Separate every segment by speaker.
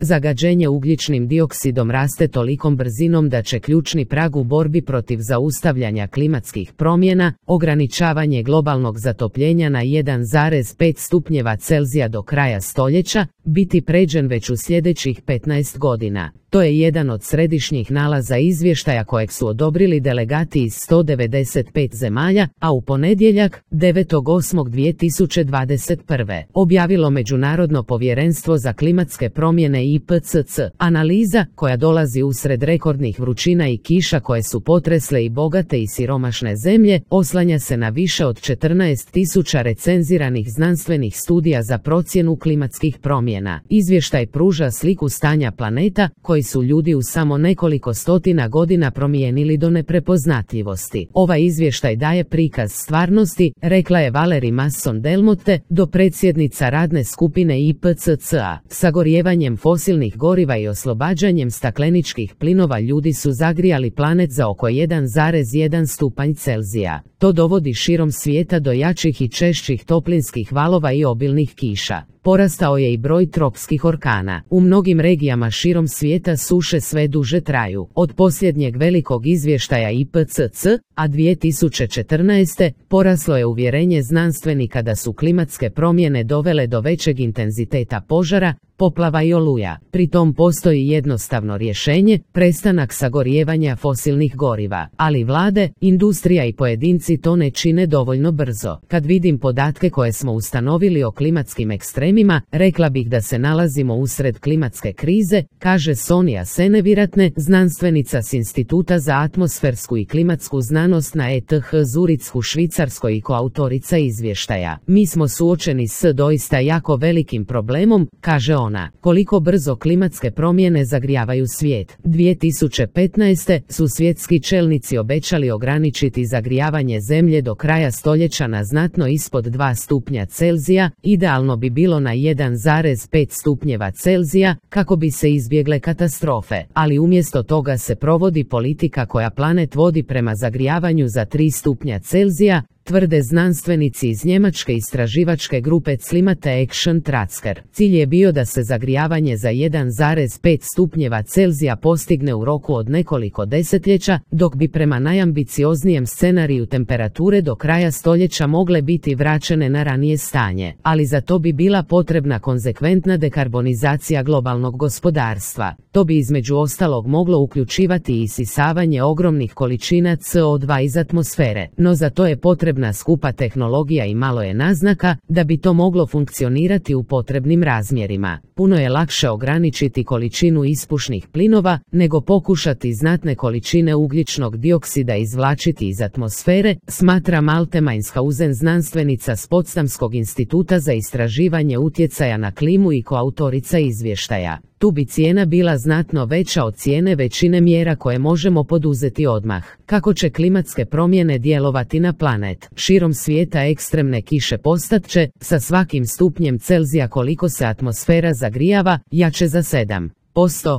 Speaker 1: Zagađenje ugljičnim dioksidom raste tolikom brzinom da će ključni prag u borbi protiv zaustavljanja klimatskih promjena, ograničavanje globalnog zatopljenja na 1,5 stupnjeva Celzija do kraja stoljeća, biti pređen već u sljedećih 15 godina. To je jedan od središnjih nalaza izvještaja kojeg su odobrili delegati iz 195 zemalja, a u ponedjeljak, 9.8.2021. objavilo Međunarodno povjerenstvo za klimatske promjene IPCC. Analiza, koja dolazi usred rekordnih vrućina i kiša koje su potresle i bogate i siromašne zemlje, oslanja se na više od 14.000 recenziranih znanstvenih studija za procjenu klimatskih promjena. Izvještaj pruža sliku stanja planeta, koji su ljudi u samo nekoliko stotina godina promijenili do neprepoznatljivosti. Ovaj izvještaj daje prikaz stvarnosti, rekla je Valerie Masson-Delmotte, dopredsjednica radne skupine IPCC-a. Sagorijevanjem fosilnih goriva i oslobađanjem stakleničkih plinova ljudi su zagrijali planet za oko 1,1 stupanj Celzija. To dovodi širom svijeta do jačih i češćih toplinskih valova i obilnih kiša. Porastao je i broj tropskih orkana. U mnogim regijama širom svijeta suše sve duže traju. Od posljednjeg velikog izvještaja IPCC, a 2014. poraslo je uvjerenje znanstvenika da su klimatske promjene dovele do većeg intenziteta požara, poplava i oluja. Pri tom postoji jednostavno rješenje, prestanak sagorijevanja fosilnih goriva. Ali vlade, industrija i pojedinci to ne čine dovoljno brzo. Kad vidim podatke koje smo ustanovili o klimatskim ekstremima, rekla bih da se nalazimo usred klimatske krize, kaže Sonja Seneviratne, znanstvenica s Instituta za atmosfersku i klimatsku znanost na ETH Zurich u Švicarskoj i koautorica izvještaja. Mi smo suočeni s doista jako velikim problemom, kaže ona. Koliko brzo klimatske promjene zagrijavaju svijet. 2015. su svjetski čelnici obećali ograničiti zagrijavanje zemlje do kraja stoljeća na znatno ispod 2 stupnja Celzija, idealno bi bilo na 1,5 stupnjeva Celzija, kako bi se izbjegle katastrofe, ali umjesto toga se provodi politika koja planet vodi prema zagrijavanju za 3 stupnja Celzija, tvrde znanstvenici iz njemačke istraživačke grupe Climate Action Tracker. Cilj je bio da se zagrijavanje za 1,5 stupnjeva Celzija postigne u roku od nekoliko desetljeća, dok bi prema najambicioznijem scenariju temperature do kraja stoljeća mogle biti vraćene na ranije stanje, ali za to bi bila potrebna konzekventna dekarbonizacija globalnog gospodarstva. To bi između ostalog moglo uključivati i isisavanje ogromnih količina CO2 iz atmosfere, no za to je potrebna skupa tehnologija i malo je naznaka da bi to moglo funkcionirati u potrebnim razmjerima. Puno je lakše ograničiti količinu ispušnih plinova nego pokušati znatne količine ugljičnog dioksida izvlačiti iz atmosfere, smatra Malte Mainshausen, znanstvenica s Potsdamskog instituta za istraživanje utjecaja na klimu i koautorica izvještaja. Tu bi cijena bila znatno veća od cijene većine mjera koje možemo poduzeti odmah. Kako će klimatske promjene djelovati na planet? Širom svijeta ekstremne kiše postat će, sa svakim stupnjem Celzija koliko se atmosfera zagrijava, jače za 7%.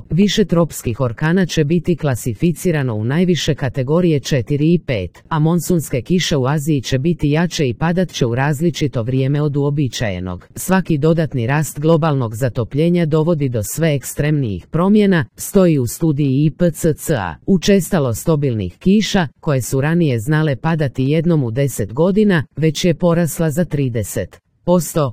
Speaker 1: Više tropskih orkana će biti klasificirano u najviše kategorije 4 i 5, a monsunske kiše u Aziji će biti jače i padat će u različito vrijeme od uobičajenog. Svaki dodatni rast globalnog zatopljenja dovodi do sve ekstremnijih promjena, stoji u studiji IPCC-a. Učestalost obilnih kiša, koje su ranije znale padati jednom u 10 godina, već je porasla za 30%.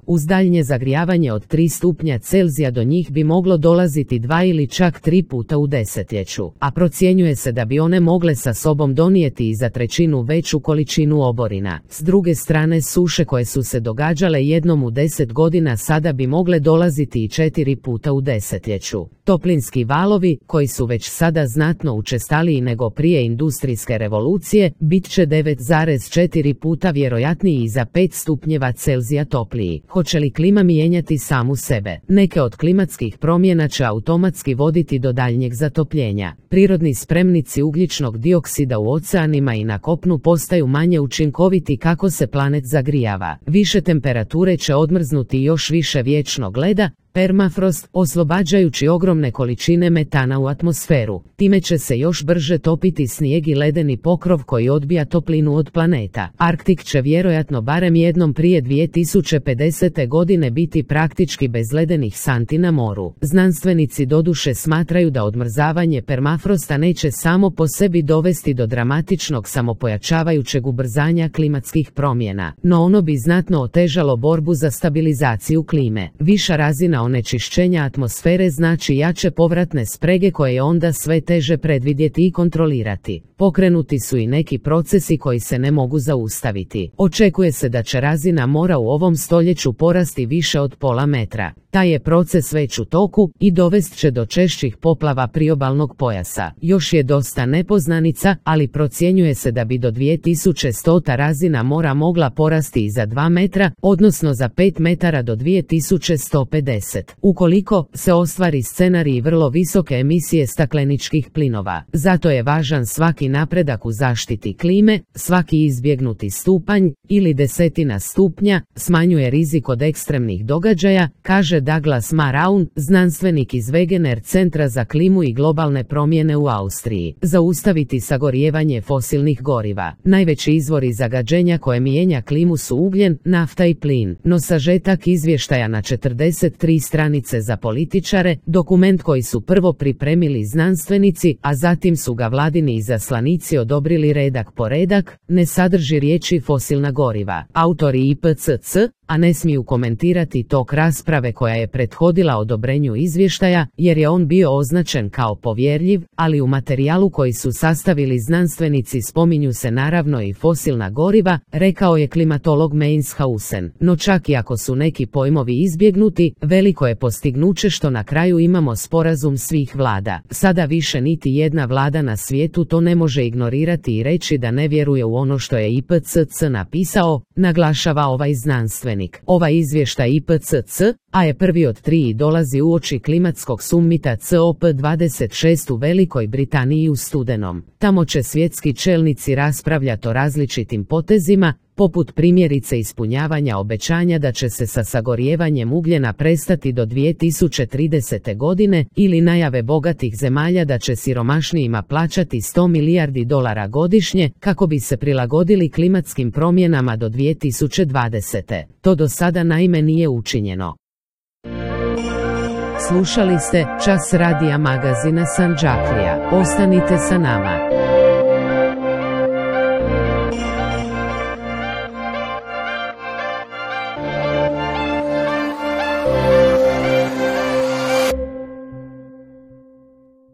Speaker 1: Uz daljnje zagrijavanje od 3 stupnja Celzija do njih bi moglo dolaziti 2 ili čak 3 puta u desetljeću, a procjenjuje se da bi one mogle sa sobom donijeti i za 1/3 veću količinu oborina. S druge strane, suše koje su se događale jednom u 10 godina sada bi mogle dolaziti i 4 puta u desetljeću. Toplinski valovi, koji su već sada znatno učestaliji nego prije industrijske revolucije, bit će 9,4 puta vjerojatniji i za 5 stupnjeva Celzija topliji. Hoće li klima mijenjati samu sebe? Neke od klimatskih promjena će automatski voditi do daljnjeg zatopljenja. Prirodni spremnici ugljičnog dioksida u oceanima i na kopnu postaju manje učinkoviti kako se planet zagrijava. Više temperature će odmrznuti još više vječnog leda, permafrost, oslobađajući ogromne količine metana u atmosferu. Time će se još brže topiti snijeg i ledeni pokrov koji odbija toplinu od planeta. Arktik će vjerojatno barem jednom prije 2050. godine biti praktički bez ledenih santi na moru. Znanstvenici doduše smatraju da odmrzavanje permafrosta neće samo po sebi dovesti do dramatičnog samopojačavajućeg ubrzanja klimatskih promjena, no ono bi znatno otežalo borbu za stabilizaciju klime. Viša razina onečišćenja atmosfere znači jače povratne sprege koje je onda sve teže predvidjeti i kontrolirati. Pokrenuti su i neki procesi koji se ne mogu zaustaviti. Očekuje se da će razina mora u ovom stoljeću porasti više od pola metra. Taj je proces već u toku i dovest će do češćih poplava priobalnog pojasa. Još je dosta nepoznanica, ali procjenjuje se da bi do 2100 razina mora mogla porasti i za 2 metra, odnosno za 5 metara do 2150. Ukoliko se ostvari scenarij vrlo visoke emisije stakleničkih plinova. Zato je važan svaki napredak u zaštiti klime, svaki izbjegnuti stupanj ili desetina stupnja smanjuje rizik od ekstremnih događaja, kaže Douglas Maraun, znanstvenik iz Wegener centra za klimu i globalne promjene u Austriji. Zaustaviti sagorijevanje fosilnih goriva. Najveći izvori zagađenja koje mijenja klimu su ugljen, nafta i plin. No sažetak izvještaja na 43 stranice za političare, dokument koji su prvo pripremili znanstvenici, a zatim su ga vladini izaslanici odobrili redak po redak, ne sadrži riječi fosilna goriva. Autori IPCC, a ne smiju komentirati tok rasprave koja je prethodila odobrenju izvještaja, jer je on bio označen kao povjerljiv, ali u materijalu koji su sastavili znanstvenici spominju se naravno i fosilna goriva, rekao je klimatolog Mainshausen. No čak i ako su neki pojmovi izbjegnuti, veliko je postignuće što na kraju imamo sporazum svih vlada. Sada više niti jedna vlada na svijetu to ne može ignorirati i reći da ne vjeruje u ono što je IPCC napisao, naglašava ovaj znanstvenik. Ovaj izvještaj IPCC, a je prvi od 3 i dolazi uoči klimatskog summita COP26 u Velikoj Britaniji u studenom. Tamo će svjetski čelnici raspravljati o različitim potezima, poput primjerice ispunjavanja obećanja da će se sa sagorijevanjem ugljena prestati do 2030. godine ili najave bogatih zemalja da će siromašnijima plaćati $100 milijardi godišnje kako bi se prilagodili klimatskim promjenama do 2020. To do sada naime nije učinjeno. Slušali ste Čas radija magazina Sandžaklija. Ostanite sa nama.